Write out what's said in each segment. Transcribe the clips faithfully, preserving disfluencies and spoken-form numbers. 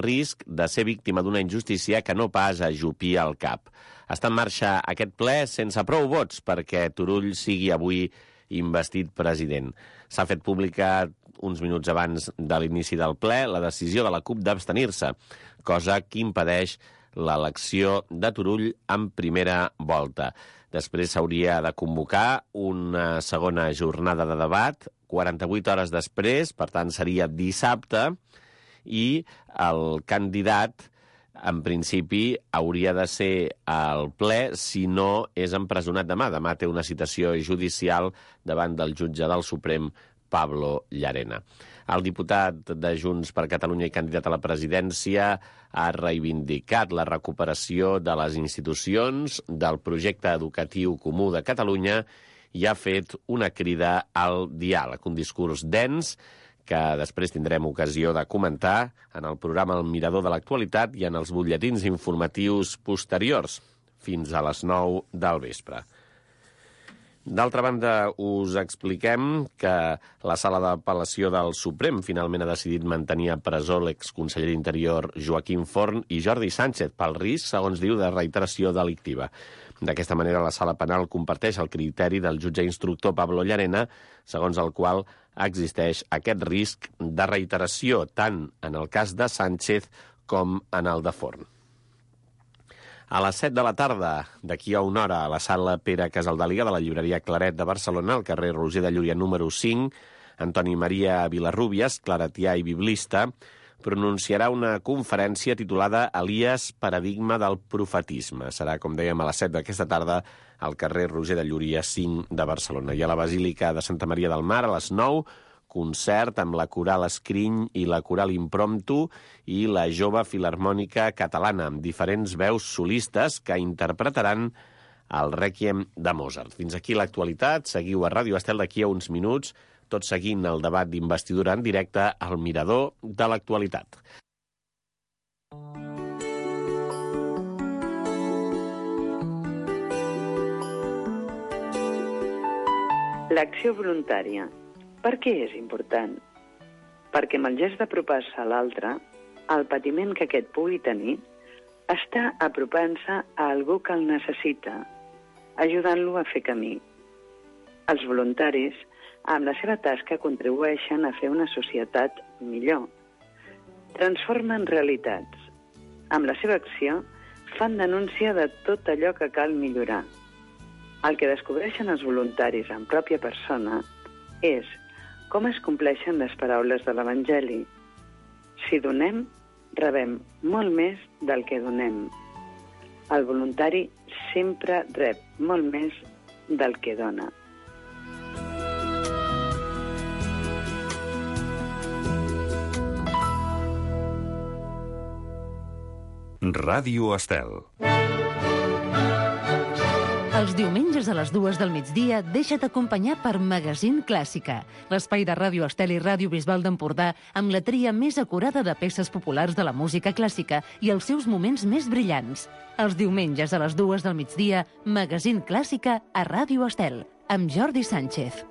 risc de ser víctima d'una injustícia que no pas ajupir el cap. Està en marxa aquest ple sense prou vots perquè Turull sigui avui investit president. S'ha fet pública uns minuts abans de l'inici del ple la decisió de la CUP d'abstenir-se, cosa que impedeix l'elecció de Turull en primera volta. Després s'hauria de convocar una segona jornada de debat, quaranta-vuit hores després, per tant seria dissabte, i el candidat, en principi, hauria de ser al ple si no és empresonat demà. Demà té una citació judicial davant del jutge del Suprem, Pablo Llarena. El diputat de Junts per Catalunya i candidat a la presidència ha reivindicat la recuperació de les institucions del projecte educatiu comú de Catalunya i ha fet una crida al diàleg, un discurs dens que després tindrem ocasió de comentar en el programa El Mirador de l'Actualitat i en els butlletins informatius posteriors, fins a les nou del vespre. D'altra banda, us expliquem que la Sala d'Apel·lació del Suprem finalment ha decidit mantenir a presó l'exconseller d'Interior Joaquim Forn i Jordi Sánchez pel risc, segons diu, de reiteració delictiva. D'aquesta manera, la Sala Penal comparteix el criteri del jutge instructor Pablo Llarena, segons el qual existeix aquest risc de reiteració tant en el cas de Sánchez com en el de Forn. A les set de la tarda, d'aquí a una hora, a la sala Pere Casaldeliga de la llibreria Claret de Barcelona, al carrer Roger de Llúria número cinc, Antoni Maria Vilarrúbias, claretià i biblista, pronunciarà una conferència titulada Elies, paradigma del profetisme. Serà, com dèiem, a les set d'aquesta tarda al carrer Roger de Llúria cinc de Barcelona. I a la Basílica de Santa Maria del Mar, a les nou, concert amb la Coral Escriny i la Coral Impromptu i la Jove Filharmònica Catalana, amb diferents veus solistes que interpretaran el Rèquiem de Mozart. Fins aquí l'actualitat. Seguiu a Ràdio Estel d'aquí a uns minuts, tot seguint el debat d'investidura en directe al Mirador de l'Actualitat. L'acció voluntària. Per què és important? Perquè amb el gest d'apropar-se a l'altre, el patiment que aquest pugui tenir, està apropant-se a algú que el necessita, ajudant-lo a fer camí. Els voluntaris, amb la seva tasca, contribueixen a fer una societat millor. Transformen realitats. Amb la seva acció, fan denúncia de tot allò que cal millorar. El que descobreixen els voluntaris en pròpia persona és com es compleixen les paraules de l'Evangeli. Si donem, rebem molt més del que donem. El voluntari sempre rep molt més del que dona. Ràdio Estel. Els diumenges a les dues del migdia deixa't acompanyar per Magazín Clàssica, l'espai de Ràdio Estel i Ràdio Bisbal d'Empordà amb la tria més acurada de peces populars de la música clàssica i els seus moments més brillants. Els diumenges a les dues del migdia, Magazín Clàssica a Ràdio Estel, amb Jordi Sánchez.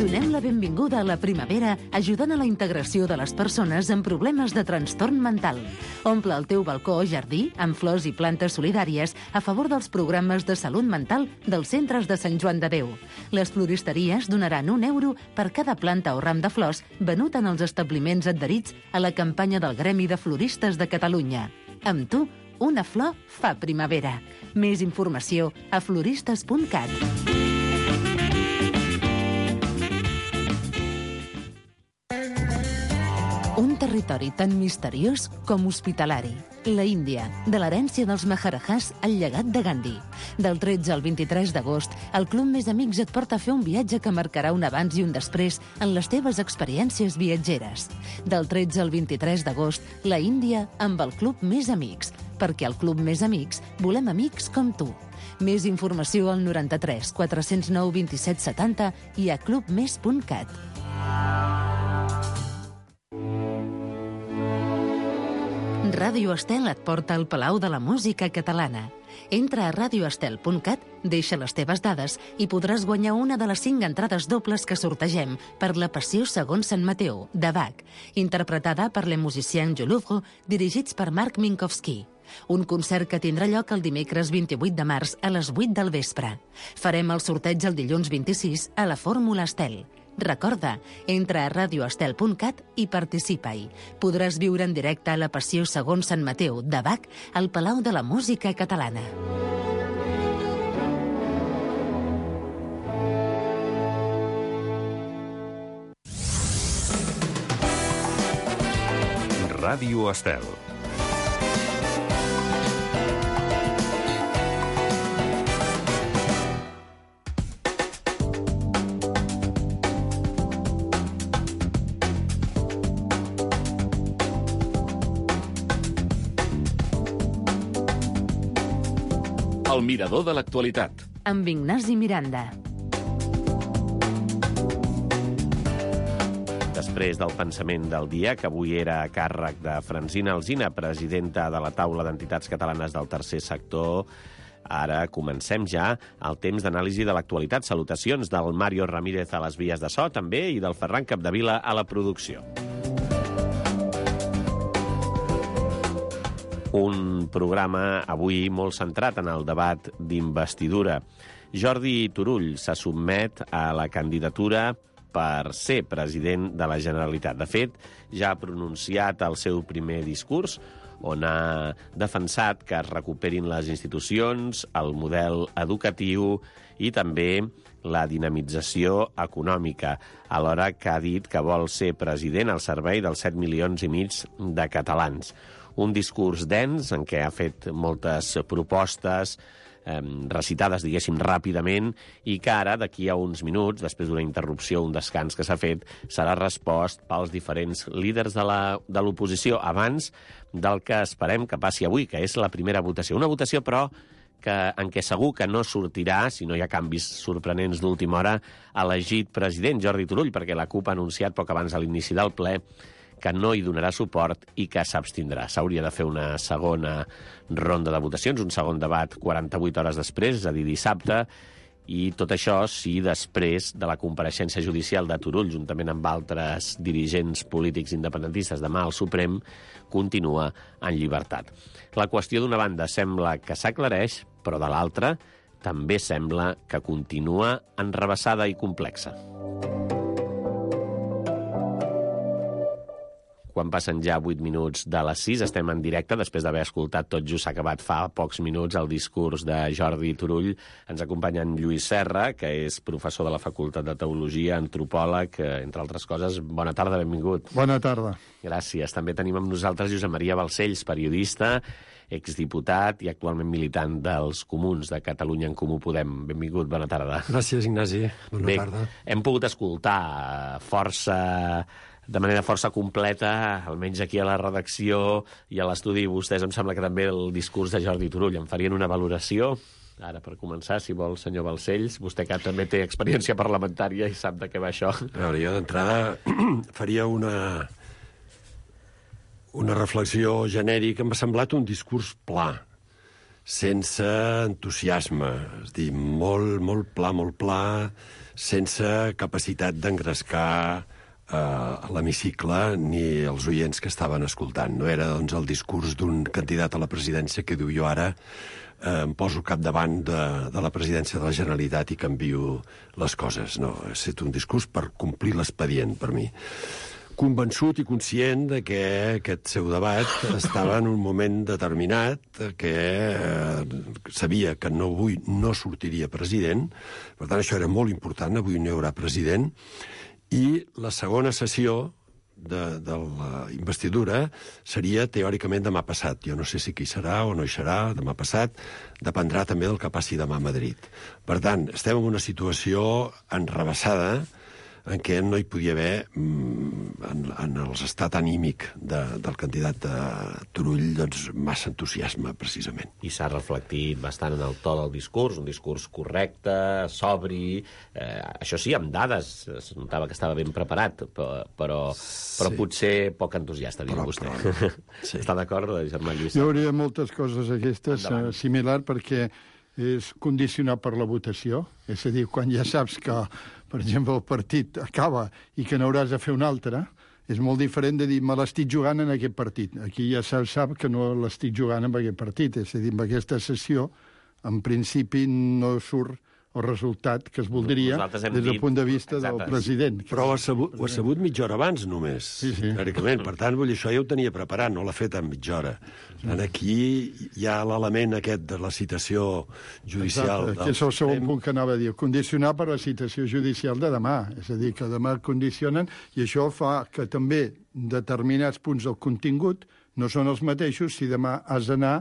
Donem la benvinguda a la primavera ajudant a la integració de les persones amb problemes de trastorn mental. Omple el teu balcó o jardí amb flors i plantes solidàries a favor dels programes de salut mental dels centres de Sant Joan de Déu. Les floristeries donaran un euro per cada planta o ram de flors venut en els establiments adherits a la campanya del Gremi de Floristes de Catalunya. Amb tu, una flor fa primavera. Més informació a floristes punt cat. Un territori tan misteriós com hospitalari. La Índia, de l'herència dels Maharajahs al llegat de Gandhi. Del tretze al vint-i-tres d'agost, el Club Més Amics et porta a fer un viatge que marcarà un abans i un després en les teves experiències viatgeres. Del tretze al vint-i-tres d'agost, la Índia amb el Club Més Amics, perquè al Club Més Amics volem amics com tu. Més informació al noranta-tres quatre-cents nou vint-i-set setanta i a club més punt cat. Ràdio Estel et porta al Palau de la Música Catalana. Entra a radio estel punt cat, deixa les teves dades i podràs guanyar una de les cinc entrades dobles que sortegem per La Passió segons Sant Mateu, de Bach, interpretada per les musiciens Jolouvre, dirigits per Marc Minkowski. Un concert que tindrà lloc el dimecres vint-i-vuit de març a les vuit del vespre. Farem el sorteig el dilluns vint-i-sis a la Fórmula Estel. Recorda, entra a radio estel punt cat i participa-hi. Podràs viure en directe a La Passió segons Sant Mateu, de Bach, al Palau de la Música Catalana. Ràdio Estel. El mirador de l'actualitat. Amb Ignasi Miranda. Després del pensament del dia, que avui era a càrrec de Francina Alsina, presidenta de la Taula d'Entitats Catalanes del Tercer Sector, ara comencem ja el temps d'anàlisi de l'actualitat. Salutacions del Mario Ramírez a les vies de so, també, i del Ferran Capdevila a la producció. Un programa avui molt centrat en el debat d'investidura. Jordi Turull se sotmet a la candidatura per ser president de la Generalitat. De fet, ja ha pronunciat el seu primer discurs, on ha defensat que es recuperin les institucions, el model educatiu i també la dinamització econòmica, alhora que ha dit que vol ser president al servei dels set milions i mig de catalans. Un discurs dens en què ha fet moltes propostes eh, recitades, diguéssim, ràpidament, i que ara, d'aquí a uns minuts, després d'una interrupció, un descans que s'ha fet, serà respost pels diferents líders de la, de l'oposició abans del que esperem que passi avui, que és la primera votació. Una votació, però, que, en què segur que no sortirà, si no hi ha canvis sorprenents d'última hora, elegit president Jordi Turull, perquè la CUP ha anunciat poc abans de l'inici del ple que no hi donarà suport i que s'abstindrà. S'hauria de fer una segona ronda de votacions, un segon debat quaranta-vuit hores després, és a dir, dissabte, i tot això si després de la compareixença judicial de Turull, juntament amb altres dirigents polítics independentistes demà al Suprem, continua en llibertat. La qüestió, d'una banda, sembla que s'aclareix, però de l'altra també sembla que continua enrevessada i complexa. Quan passen ja vuit minuts de les sis, estem en directe, després d'haver escoltat tot just acabat fa pocs minuts el discurs de Jordi Turull. Ens acompanya en Lluís Serra, que és professor de la Facultat de Teologia, antropòleg, entre altres coses. Bona tarda, benvingut. Bona tarda. Gràcies. També tenim amb nosaltres Josep Maria Balcells, periodista, exdiputat i actualment militant dels Comuns de Catalunya en Comú Podem. Benvingut, bona tarda. Gràcies, Ignasi. Bona Bé, tarda. Hem pogut escoltar força... de manera força completa, almenys aquí a la redacció i a l'estudi, vostès em sembla que també el discurs de Jordi Turull en farien una valoració. Ara, per començar, si vol, senyor Balcells, vostè que també té experiència parlamentària i sap de què va això. A veure, jo d'entrada faria una, una reflexió genèrica. M'ha semblat un discurs pla, sense entusiasme, és a dir, molt, molt pla, molt pla, sense capacitat d'engrescar a l'hemicicle ni els oients que estaven escoltant. No era, doncs, el discurs d'un candidat a la presidència que diu jo ara eh, em poso capdavant de, de la presidència de la Generalitat i canvio les coses. No, ha estat un discurs per complir l'expedient, per mi. Convençut i conscient de que aquest seu debat estava en un moment determinat, que eh, sabia que no, avui no sortiria president, per tant això era molt important, avui no hi haurà president, i la segona sessió de, de la investidura seria teòricament demà passat. Jo no sé si qui serà o no hi serà demà passat, dependrà també del que passi demà a Madrid. Per tant, estem en una situació enrevessada en què no hi podia haver, en, en l'estat anímic de, del candidat de Turull, doncs, massa entusiasme, precisament. I s'ha reflectit bastant en el to del discurs, un discurs correcte, sobri, eh, això sí, amb dades, es notava que estava ben preparat, però, però, sí. però potser poc entusiasta, diu però, vostè. Però, sí. Està d'acord, germà Lluís? Hi hauria moltes coses aquestes uh, similar, perquè és condicionat per la votació. És a dir, quan ja saps que, per exemple, el partit acaba i que n'hauràs de fer un altre, és molt diferent de dir, me l'estic jugant en aquest partit. Aquí ja se sap que no l'estic jugant en aquest partit. És a dir, en aquesta sessió, en principi, no surt el resultat que es voldria des del dit... punt de vista Exacte. Del president. Però ho ha, sabut, ho ha sabut mitja hora abans, només, sí, sí. teòricament. Per tant, vull dir, això ja ho tenia preparat, no l'ha fet en mitja hora. Sí. Aquí hi ha l'element aquest de la citació judicial. Exacte, que és el segon punt que anava a dir. Condicionar per la citació judicial de demà. És a dir, que demà condicionen, i això fa que també determinats punts del contingut no són els mateixos si demà has d'anar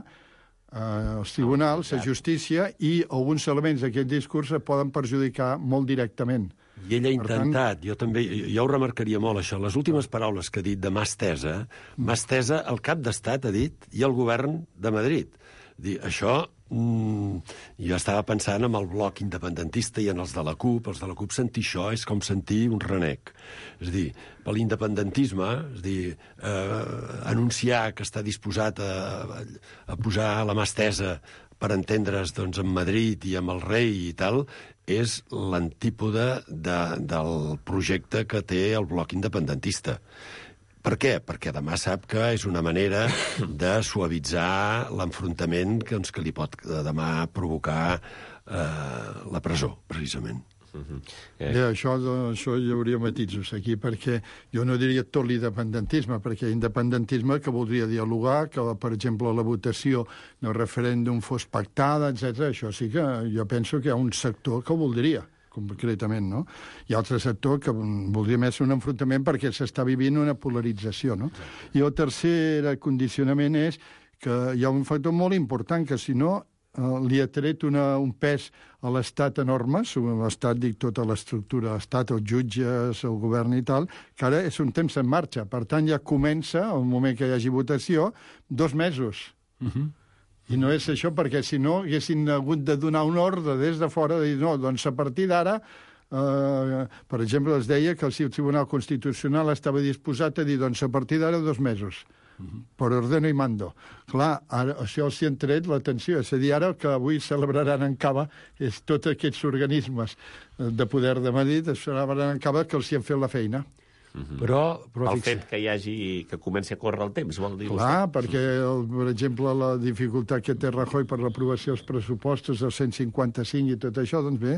als tribunals, a justícia, i alguns elements d'aquest discurs es poden perjudicar molt directament. I ell ha intentat, tant... jo també, jo ho remarcaria molt, això, les últimes paraules que ha dit de mà estesa, mà estesa el cap d'estat, ha dit, i el govern de Madrid. Dir, això, mm, jo estava pensant en el bloc independentista i en els de la CUP. Els de la CUP sentir això és com sentir un renec. És a dir, per l'independentisme, és a dir, eh, anunciar que està disposat a, a posar la mà estesa per entendre's, doncs, amb Madrid i amb el rei i tal, és l'antípoda de, del projecte que té el bloc independentista. Per què? Perquè demà sap que és una manera de suavitzar l'enfrontament que, doncs, que li pot demà provocar eh, la presó, precisament. Uh-huh. eh. Ja, això, això hi hauria matisos aquí, perquè jo no diria tot l'independentisme, perquè independentisme que voldria dialogar, que, per exemple, la votació del referèndum fos pactada, etcètera. Això sí que jo penso que hi ha un sector que ho voldria, concretament, no? Hi ha altre sector que voldria més un enfrontament perquè s'està vivint una polarització, no? I el tercer condicionament és que hi ha un factor molt important, que si no eh, li ha tret una, un pes a l'Estat enorme, l'Estat, dic, tota l'estructura de l'Estat, els jutges, el govern i tal, que ara és un temps en marxa. Per tant, ja comença, al moment que hi hagi votació, dos mesos. Uh-huh. I no és això perquè, si no, haguessin hagut de donar un ordre des de fora, de dir, no, doncs a partir d'ara, eh, per exemple, es deia que el Tribunal Constitucional estava disposat a dir, doncs a partir d'ara dos mesos, uh-huh. per ordeno i mando. Clar, ara, això els hi han tret l'atenció, és a dir, ara el que avui celebraran en Cava és tots aquests organismes de poder de Madrid, es celebraran en Cava que els hi han fet la feina. Uh-huh. Però, però el fet que hi hagi, que comenci a córrer el temps, vol dir? Clar, vostè? Perquè, el, per exemple, la dificultat que té Rajoy per l'aprovació dels pressupostos del cent cinquanta-cinc i tot això, doncs bé,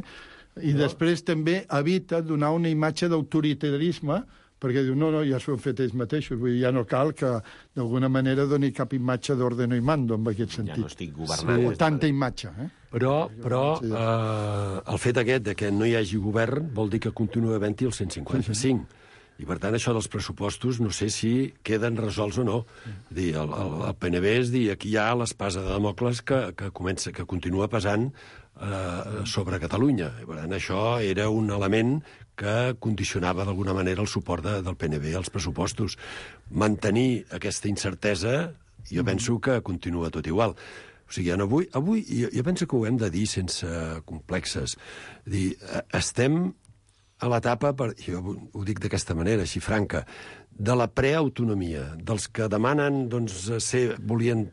i no. Després també evita donar una imatge d'autoritarisme, perquè diu, no, no, ja s'ho han fet ells mateixos, vull dir, ja no cal que d'alguna manera doni cap imatge d'ordeno i mando, en aquest sentit. Ja no estic governant. Sí, tanta imatge, eh? Però, però eh, el fet aquest de que no hi hagi govern vol dir que continua havent-hi el cent cinquanta-cinc. Sí, sí. I, per tant, això dels pressupostos no sé si queden resolts o no. Dir, el, el, el P N B és dir, aquí hi ha l'espasa de Damocles que, que, comença, que continua pesant eh, sobre Catalunya. I, per tant, això era un element que condicionava d'alguna manera el suport de, del P N B als pressupostos. Mantenir aquesta incertesa, jo penso que continua tot igual. O sigui, avui, avui jo, jo penso que ho hem de dir sense complexes. Dir, estem a l'etapa, per, jo ho dic d'aquesta manera, així franca, de la preautonomia, dels que demanen, doncs, ser, volien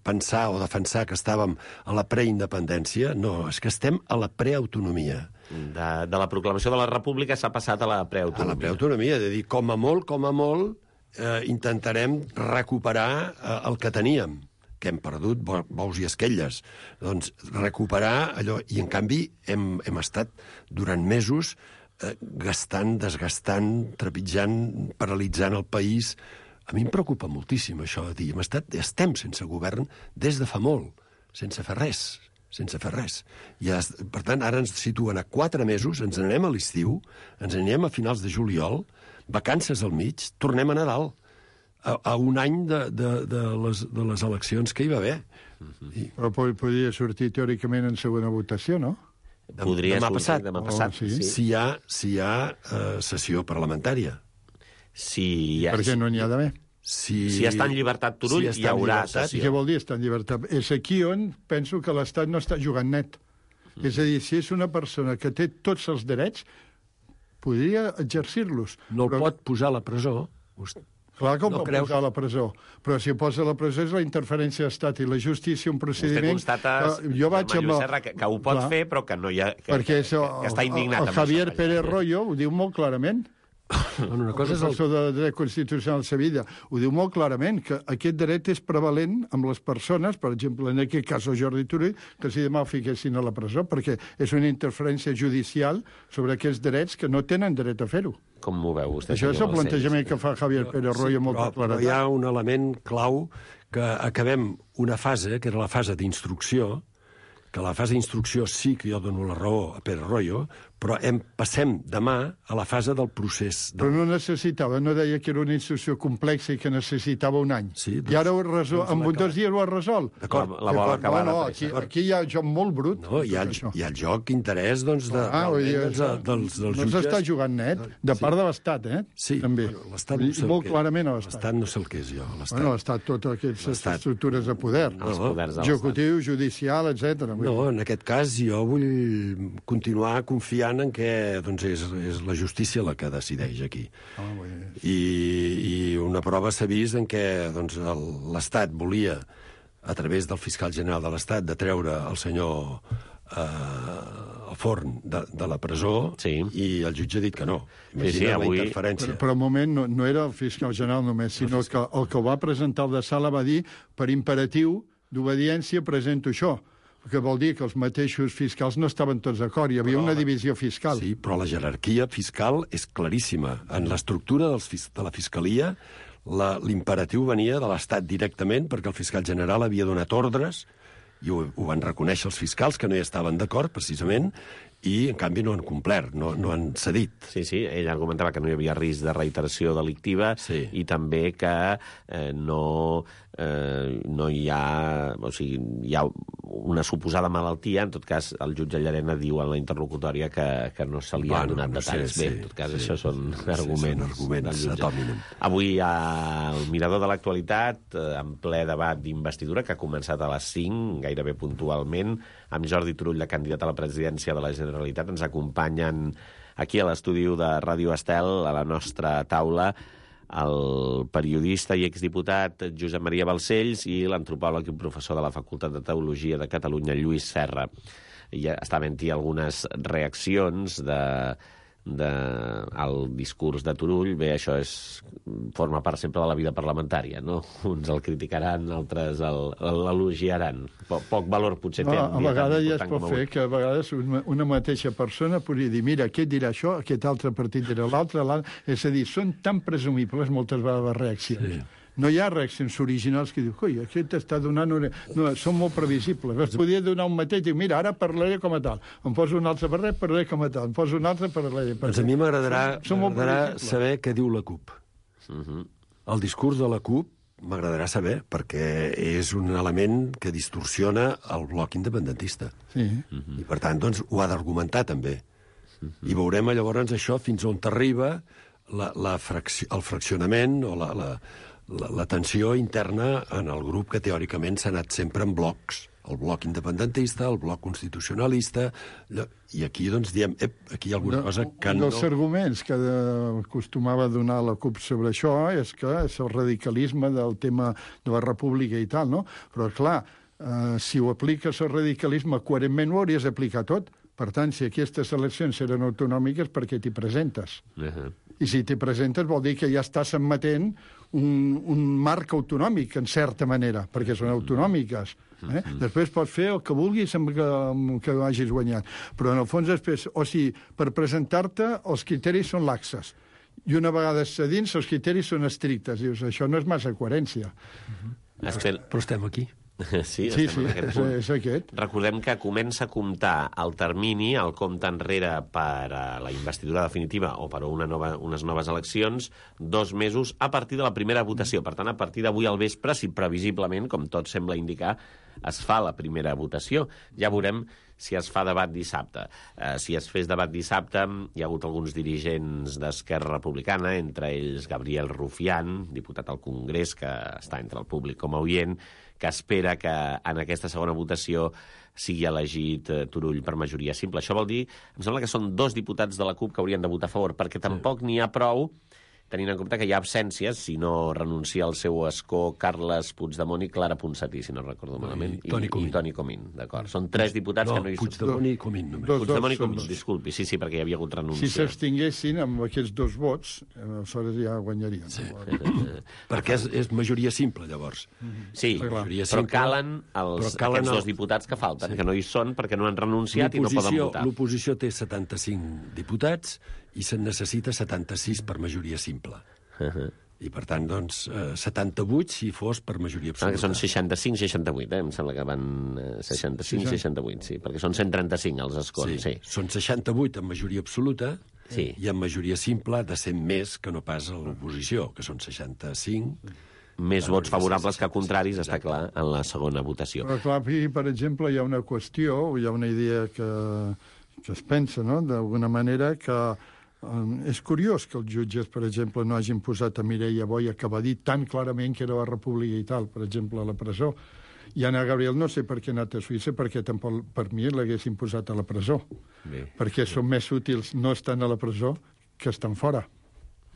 pensar o defensar que estàvem a la preindependència. No, és que estem a la preautonomia. De, de la proclamació de la República s'ha passat a la preautonomia. A la preautonomia, de dir, com a molt, com a molt, eh, intentarem recuperar eh, el que teníem, que hem perdut bous i esquelles. Doncs recuperar allò, i en canvi hem, hem estat durant mesos Eh, gastant, desgastant, trepitjant, paralitzant el país. A mi em preocupa moltíssim això de dir, hem estat, estem sense govern des de fa molt, sense fer res, sense fer res. I, per tant, ara ens situen a quatre mesos, ens anem a l'estiu, ens anem a finals de juliol, vacances al mig, tornem a Nadal, a, a un any de, de, de, les, de les eleccions que hi va haver. Uh-huh. I... Però podria sortir teòricament en segona votació, no? Podria demà sortir passat. demà passat. Oh, sí. sí. Si hi ha, si hi ha uh, sessió parlamentària. Si hi ha, Per què no n'hi ha d'haver? Si, si està en llibertat Turull, si està hi en haurà llibertat, sessió. I què vol dir estar en llibertat? És aquí on penso que l'Estat no està jugant net. Mm. És a dir, si és una persona que té tots els drets, podria exercir-los. no el Però, pot posar a la presó. clar que ho no pot creus- posar a la presó, però si ho posa a la presó és la interferència de l'Estat i la justícia, un Vostè procediment... constata, Eh, jo vaig Germà amb... Lluís Serra, que, que ho pot Clar, fer, però que no hi ha... Que, perquè que, això, que, que està indignat. el, el amb Javier això, Pérez vaja. Royo ho diu molt clarament. Bueno, una cosa és el... professor de dret constitucional de Sevilla, ho diu molt clarament, que aquest dret és prevalent amb les persones, per exemple, en aquest cas el Jordi Turull, que si demà el fiquessin a la presó, perquè és una interferència judicial sobre aquests drets que no tenen dret a fer-ho. Com ho veu vostè? Això és el senyor plantejament que fa Javier Pérez Royo amb molta però, però claredat. hi ha un element clau que acabem una fase, que era la fase d'instrucció, que la fase d'instrucció sí que jo dono la raó a Pérez Royo, però hem, passem demà a la fase del procés. Però Del... no necessitava, no deia que era una instrucció complexa i que necessitava un any. Sí, doncs- I ara ho resol, doncs amb l'ha un dos dies ho ha resolt. D'acord. La- la vol acabar no, no, de aquí, pressa. aquí hi ha joc molt brut. No, hi ha, el, això. hi ha el joc interès doncs, de, Ah, vull dir, realment, doncs, de, dels, dels no jutges. s'està jugant net, de part de l'Estat, eh? Sí, també. bueno, l'Estat I no sé el molt que- clarament a l'Estat. L'Estat no sé el que és jo. L'Estat. Bueno, l'Estat, totes aquestes L'Estat. estructures de poder. Els No, poders de l'Estat. Executiu, judicial, etcètera. Vull No, dir. en aquest cas jo vull continuar confiant en que doncs, és, és la justícia la que decideix aquí. Ah, vull dir. I, i una prova s'ha vist en què doncs, el- l'Estat volia, a través del fiscal general de l'Estat, de treure el senyor eh, Forn de, de la presó, Sí. i el jutge ha dit que no. Sí, Imagina sí, avui- la interferència. Però, però al moment no, no era el fiscal general només, sinó que el que ho va presentar el de Sala va dir per imperatiu d'obediència presento això, que vol dir que els mateixos fiscals no estaven tots d'acord, hi havia Però- una divisió fiscal. Sí, però la jerarquia fiscal és claríssima. En l'estructura dels fis- de la Fiscalia, la- l'imperatiu venia de l'Estat directament, perquè el fiscal general havia donat ordres, i ho, ho van reconèixer els fiscals, que no hi estaven d'acord, precisament, i, en canvi, no han complert, no, no han cedit. Sí, sí, ell argumentava que no hi havia risc de reiteració delictiva Sí. i també que eh, no, eh, no hi ha... O sigui, hi ha una suposada malaltia. En tot cas, el jutge Llarena diu en la interlocutòria que, que no se li Bueno, han donat no sé, detalls. sí, Bé, en tot cas, sí. això són Sí, arguments, són arguments del jutge. ad hominem. Avui al Mirador de l'Actualitat, eh, en ple debat d'investidura, que ha començat a les cinc, gairebé puntualment, amb Jordi Turull, de candidat a la presidència de la Generalitat. Ens acompanyen aquí a l'estudi de Ràdio Estel, a la nostra taula, el periodista i exdiputat Josep Maria Balcells i l'antropòleg i professor de la Facultat de Teologia de Catalunya, Lluís Serra. I està havent-hi algunes reaccions de, de, al discurs de Turull. Bé, això és, forma part sempre de la vida parlamentària, no? Uns el criticaran, altres el- l'elogiaran. Po, poc valor potser té. No, un a dia tan vegades ja es important pot com fer avui. que a vegades una, una mateixa persona podria dir mira, aquest dirà això, aquest altre partit dirà l'altre, l'altre... És a dir, són tan presumibles moltes vegades les reaccions. Sí. No hi ha reaccions originals que diu, coi, aquest està donant... Una... No, són molt previsibles. Es podria donar un mateix, diu, mira, ara parlaré com a tal. Em poso un altre parlaré, parlaré com a tal. Em poso un altre, parlaré... Doncs a mi m'agradarà Són molt m'agradarà previsibles. saber què diu la CUP. Uh -huh. El discurs de la CUP m'agradarà saber, perquè és un element que distorsiona el bloc independentista. Sí. I, per tant, doncs, ho ha d'argumentar, també. I veurem llavors això fins on arriba la, la fracci el fraccionament o la, la, la, la tensió interna en el grup que teòricament s'ha anat sempre en blocs. El bloc independentista, el bloc constitucionalista... I aquí, doncs, diem, ep, aquí hi ha alguna cosa que Un no... dels arguments que de, acostumava a donar la CUP sobre això és que és el radicalisme del tema de la república i tal, no? Però, clar, eh, si ho apliques al radicalisme coherentment ho hauries d'aplicar tot. Per tant, si aquestes eleccions eren autonòmiques, per què t'hi presentes? Uh -huh. I si t'hi presentes vol dir que ja estàs admetent un, un marc autonòmic, en certa manera, perquè són autonòmiques. Eh? Després pots fer el que vulguis amb que, amb que hagis guanyat. Però, en el fons, després, o sigui, per presentar-te, els criteris són laxes. I una vegada a dins, els criteris són estrictes. Dius, això no és massa coherència. Estel... Però estem aquí. Sí, Sí, estem sí, en aquest és, punt. és aquest. Recordem que comença a comptar el termini, el compte enrere per a la investidura definitiva o per a una nova, unes noves eleccions, dos mesos a partir de la primera votació. Per tant, a partir d'avui al vespre, si previsiblement, com tot sembla indicar, es fa la primera votació. Ja veurem si es fa debat dissabte. Eh, si es fes debat dissabte, hi ha hagut alguns dirigents d'Esquerra Republicana, entre ells Gabriel Rufián, diputat al Congrés, que està entre el públic com a oient, que espera que en aquesta segona votació sigui elegit eh, Turull per majoria simple. Això vol dir, em sembla que són dos diputats de la CUP que haurien de votar a favor, perquè tampoc n'hi ha prou, tenint en compte que hi ha absències, si no renuncia al seu escó Carles Puigdemont i Clara Ponsatí, si no recordo malament, i Toni Comín. I Toni Comín, d'acord. Són tres diputats no, que no hi són. Puigdemont i Comín, només. Dos, Puigdemont i dos, Comín, dos. disculpi, sí, sí, perquè hi havia hagut renúncia. Si s'abstinguessin amb aquests dos vots, aleshores ja guanyarien. Sí. Perquè és, és majoria simple, llavors. Sí, Majoria però simple, calen els, però calen aquests el- dos diputats que falten, sí. que no hi són perquè no han renunciat i no poden L'oposició votar. l'oposició té setanta-cinc diputats i se'n necessita setanta-sis per majoria simple. Uh -huh. I, per tant, doncs, eh, setanta-vuit si fos per majoria Sembla que absoluta. són seixanta-cinc seixanta-vuit, eh? Em sembla que van eh, seixanta-cinc seixanta-vuit, sí, perquè són cent trenta-cinc els escons, sí. sí. Són seixanta-vuit en majoria absoluta Sí. i en majoria simple de cent més que no pas a l'oposició, que són seixanta-cinc. Més vots favorables que contraris, està clar, en la segona votació. Però clar, aquí, per exemple, hi ha una qüestió, hi ha una idea que, que es pensa, no?, d'alguna manera, que Um, és curiós que els jutges, per exemple, no hagin posat a Mireia Boia, que va dir tan clarament que era la república i tal, per exemple, a la presó. I Anna Gabriel no sé per què ha anat a Suïssa, perquè tampoc per mi l'haguessin posat a la presó. Bé. Perquè són més útils no estan a la presó que estan fora,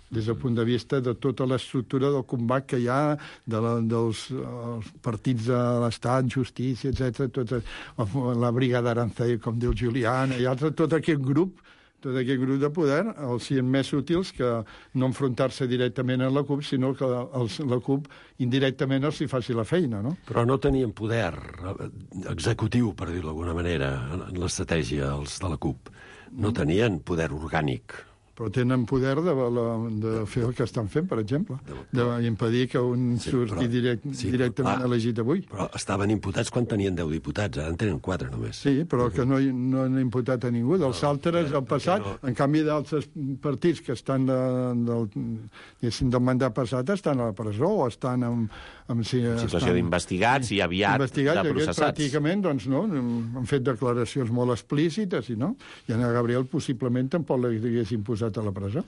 des del punt de vista de tota l'estructura del combat que hi ha, de la, dels els partits de l'Estat, justícia, etcètera, tota, la brigada Aranzadi, com diu Juliana, i altres, tot aquest grup tot aquest grup de poder, els siguin més útils que no enfrontar-se directament a la CUP, sinó que els, la CUP indirectament els hi faci la feina, no? Però no tenien poder executiu, per dir-ho d'alguna manera, en l'estratègia, els de la CUP. No tenien poder orgànic. Però tenen poder de, de fer el que estan fent, per exemple, d'impedir que un sí, surti però, direct, sí, directament clar, elegit avui. Però estaven imputats quan tenien deu diputats, ara en tenen quatre només. Sí, però que no, no han imputat a ningú. Dels no, altres, al passat, no. En canvi d'altres partits que estan de, del, del mandat passat estan a la presó o estan en, en, si, en situació d'investigats sí, i aviat de processats. Pràcticament, doncs, no, han fet declaracions molt explícites, i no? I Anna Gabriel possiblement tampoc l'haguessin posat a la presó.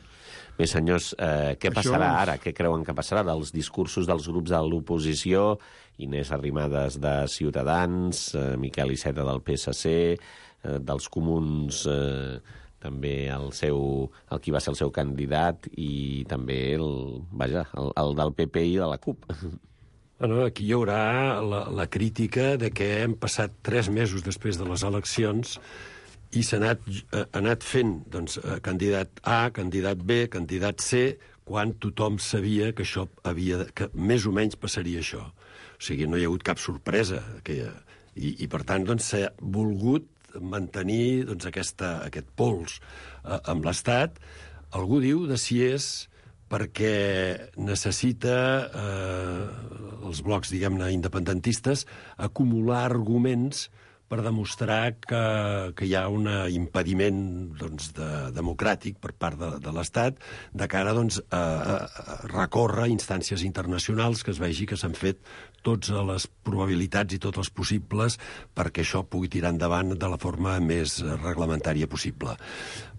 Bé, senyors, eh, què Això passarà és... ara? Què creuen que passarà dels discursos dels grups de l'oposició? Inés Arrimadas de Ciutadans, eh, Miquel Iceta del P S C, eh, dels Comuns, eh, també el, seu, el qui va ser el seu candidat, i també el, vaja, el, el del P P i de la CUP. Bueno, aquí hi haurà la, la crítica de que hem passat tres mesos després de les eleccions i s'ha anat, ha anat fent doncs, candidat A, candidat B, candidat C, quan tothom sabia que això havia de, que més o menys passaria això. O sigui, no hi ha hagut cap sorpresa. Que, i, I, per tant, doncs, s'ha volgut mantenir doncs, aquesta, aquest pols eh, amb l'Estat. Algú diu de si és perquè necessita eh, els blocs, diguem-ne, independentistes acumular arguments per demostrar que, que hi ha un impediment doncs, de, democràtic per part de, de l'Estat de cara doncs, a, a recórrer instàncies internacionals, que es vegi que s'han fet totes les probabilitats i tots els possibles perquè això pugui tirar endavant de la forma més reglamentària possible.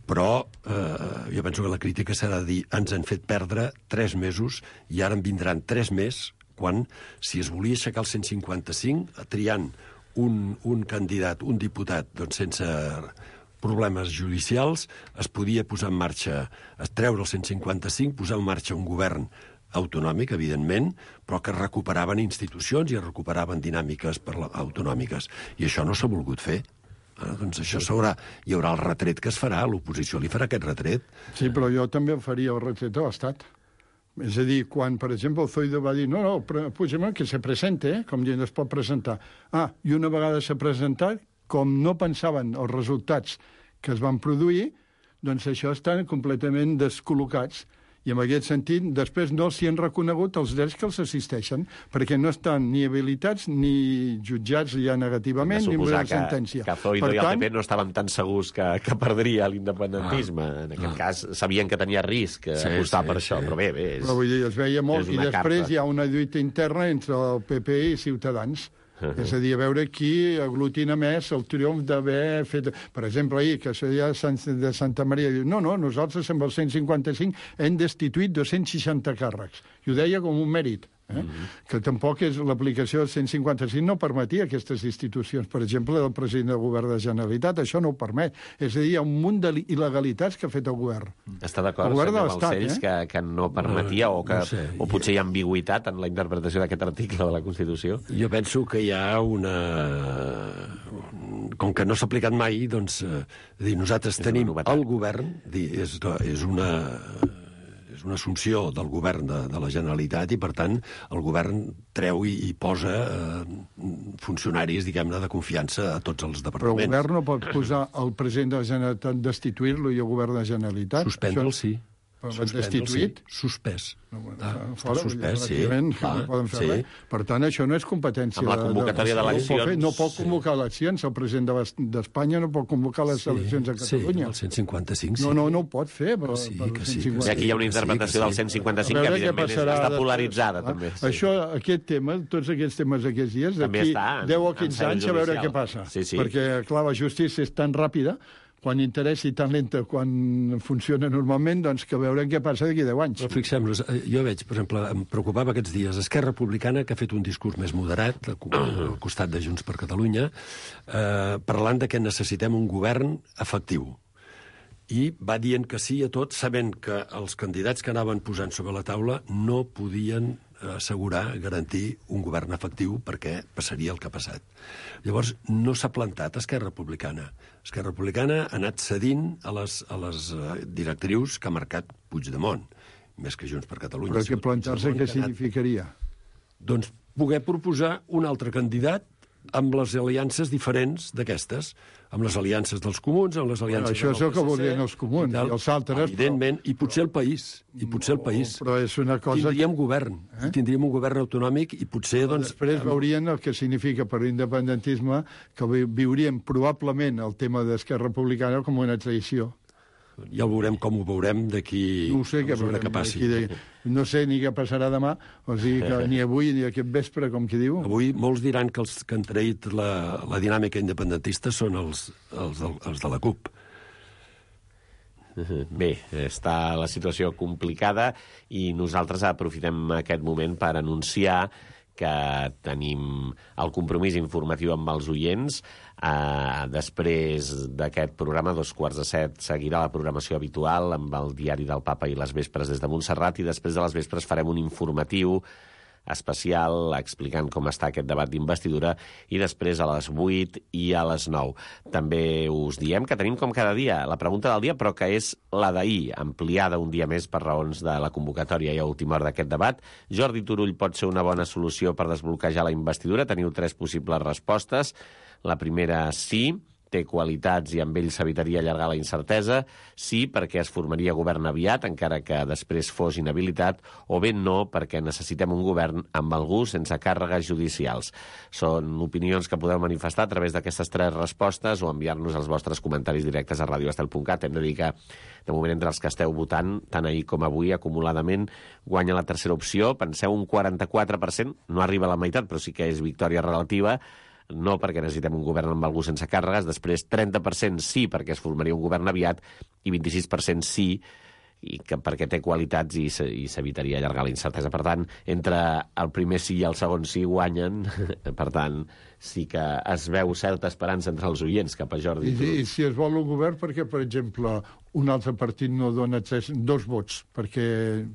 Però eh, jo penso que la crítica serà de dir ens han fet perdre tres mesos i ara en vindran tres més quan, si es volia aixecar el cent cinquanta-cinc, triant Un, un candidat, un diputat, doncs sense problemes judicials, es podia posar en marxa, es treure el cent cinquanta-cinc, posar en marxa un govern autonòmic, evidentment, però que recuperaven institucions i recuperaven dinàmiques per la, autonòmiques. I això no s'ha volgut fer. Ah, doncs això s'haurà, hi haurà el retret que es farà, l'oposició li farà aquest retret. Sí, però jo també faria el retret a l'Estat. És a dir, quan, per exemple, el Zoido va dir no, no, Puigdemont que se presente, eh? Com dient, es pot presentar. Ah, i una vegada s'ha presentat, com no pensaven els resultats que es van produir, doncs això estan completament descol·locats. I en aquest sentit, després no s'hi han reconegut els drets que els assisteixen, perquè no estan ni habilitats ni jutjats ja negativament, ni amb una sentència. Que Zoido i el P P no estaven tan segurs que, que perdria l'independentisme. Ah, en aquest ah. cas, sabien que tenia risc sí, apostar sí, per sí. això, però bé, bé. És, però vull dir, es veia molt, i després carta. Hi ha una lluita interna entre el P P i Ciutadans. Uh-huh. És a dir, a veure qui aglutina més el triomf d'haver fet... Per exemple, ahir, que seria de Santa Maria, diu, no, no, nosaltres amb el cent cinquanta-cinc hem destituït dos-cents seixanta càrrecs. I ho deia com un mèrit. Eh? Mm-hmm. Que tampoc és l'aplicació del cent cinquanta-cinc no permetia aquestes institucions. Per exemple, del president del govern de la Generalitat, això no ho permet. És a dir, hi ha un munt d'il·legalitats que ha fet el govern. Està d'acord, senyor Balcells, eh? que, que no permetia no, o que no sé. o potser hi ha ambigüitat en la interpretació d'aquest article de la Constitució? Jo penso que hi ha una... Com que no s'ha aplicat mai, doncs, eh, dir, nosaltres és tenim el govern, dir, és, és una... és una assumpció del govern de, de la Generalitat i, per tant, el govern treu i, i posa eh, funcionaris, diguem-ne, de confiança a tots els departaments. Però el govern no pot posar el president de la Generalitat, destituir-lo i el govern de la Generalitat? Suspendre'l, sí. Destituït? Sí. Suspès. No, bueno, ah, fora, suspès, sí. Ah, no poden fer sí. res. Per tant, això no és competència... Amb la convocatòria d'eleccions... No pot convocar eleccions. El president d'Espanya no pot convocar les sí, eleccions a Catalunya. Sí, el cent cinquanta-cinc, sí. No, no, no ho pot fer. Per, sí, per que sí. I aquí hi ha una interpretació sí, sí. del cent cinquanta-cinc que, evidentment, és, està polaritzada, ah? també. Sí. Això, aquest tema, tots aquests temes aquests dies, d'aquí deu o quinze anys, a veure què passa. Sí, sí. Perquè, clar, la justícia és tan ràpida, quan interessa i tan lenta quan funciona normalment, doncs que veurem què passa d'aquí deu anys. Però fixem-nos, jo veig, per exemple, em preocupava aquests dies Esquerra Republicana, que ha fet un discurs més moderat al costat de Junts per Catalunya, eh, parlant de que necessitem un govern efectiu. I va dient que sí a tot, sabent que els candidats que anaven posant sobre la taula no podien assegurar, garantir un govern efectiu perquè passaria el que ha passat. Llavors, no s'ha plantat Esquerra Republicana. Esquerra Republicana ha anat cedint a les, a les directrius que ha marcat Puigdemont, més que Junts per Catalunya. Però que plantar-se què significaria? Doncs poder proposar un altre candidat amb les aliances diferents d'aquestes, amb les aliances dels comuns, amb les aliances bueno, això del és el que voldrien els comuns, i, i els altres... Evidentment, però... i potser el país, i potser el país. Però és una cosa... Tindríem govern, eh? tindríem un govern autonòmic i potser, doncs... Després veurien el que significa per l'independentisme, que viurien probablement el tema d'Esquerra Republicana com una traïció. Ja ho veurem com ho veurem d'aquí no sé què, que passi. De... No sé ni què passarà demà, o sigui que ni avui ni aquest vespre, com qui diu. Avui molts diran que els que han traït la, la dinàmica independentista són els, els, els de la CUP. Bé, està la situació complicada i nosaltres aprofitem aquest moment per anunciar que tenim el compromís informatiu amb els oients. Uh, després d'aquest programa, dos quarts de set, seguirà la programació habitual amb el Diari del Papa i les vespres des de Montserrat, i després de les vespres farem un informatiu especial explicant com està aquest debat d'investidura, i després a les vuit i a les nou. També us diem que tenim com cada dia la pregunta del dia, però que és la d'ahir, ampliada un dia més per raons de la convocatòria i a última hora d'aquest debat. Jordi Turull pot ser una bona solució per desbloquejar la investidura? Teniu tres possibles respostes. La primera, sí, té qualitats i amb ell s'evitaria allargar la incertesa. Sí, perquè es formaria govern aviat, encara que després fos inhabilitat, o bé no, perquè necessitem un govern amb algú sense càrregues judicials. Són opinions que podeu manifestar a través d'aquestes tres respostes o enviar-nos els vostres comentaris directes a radio estel punt cat. Hem de dir que, de moment, entre els que esteu votant, tant ahir com avui, acumuladament, guanya la tercera opció. Penseu, un quaranta-quatre per cent, no arriba a la meitat, però sí que és victòria relativa, no perquè necessitem un govern amb algú sense càrregues, després trenta per cent sí perquè es formaria un govern aviat i vint-i-sis per cent sí i que perquè té qualitats i s'evitaria allargar la incertesa. Per tant, entre el primer sí i el segon sí guanyen, per tant, sí que es veu certa esperança entre els oients cap a Jordi. I, i si es vol un govern, perquè, per exemple, un altre partit no dona tres, dos vots perquè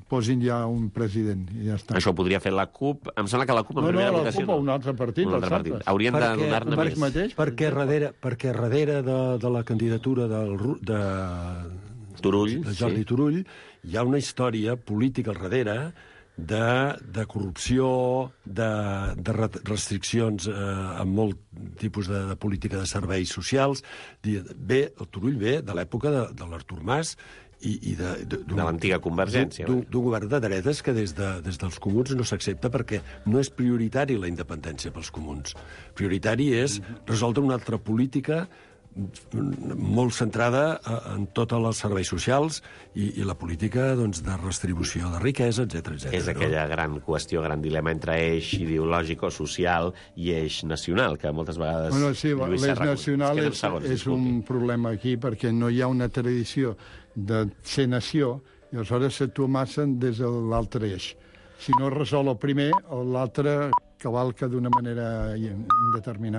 posin ja un president i ja està. Això ho podria fer la CUP. Em sembla que la CUP en no, primera no, votació... No, no, la CUP o un altre partit. Un altre partit. Haurien de donar-ne més. Mateix, perquè darrere, perquè darrere de, de la candidatura del, de, Turull, de Jordi sí. Turull hi ha una història política al darrere de, de corrupció, de, de restriccions eh, amb molt tipus de, de política de serveis socials. Bé, el Turull ve de l'època de, de l'Artur Mas i, i de, de, de l'antiga Convergència. D'un govern de dretes que des, de, des dels comuns no s'accepta perquè no és prioritari la independència pels comuns. Prioritari és resoldre una altra política molt centrada en tots els serveis socials i, i la política doncs, de redistribució de riquesa, etcètera, etcètera. És aquella no? gran qüestió, gran dilema entre eix ideològic o social i eix nacional, que moltes vegades... Bueno, sí, l'eix nacional és, segons, és un problema aquí, perquè no hi ha una tradició de ser nació, i aleshores s'actua massa des de l'altre eix. Si no es resol el primer, l'altre cavalca d'una manera indeterminada.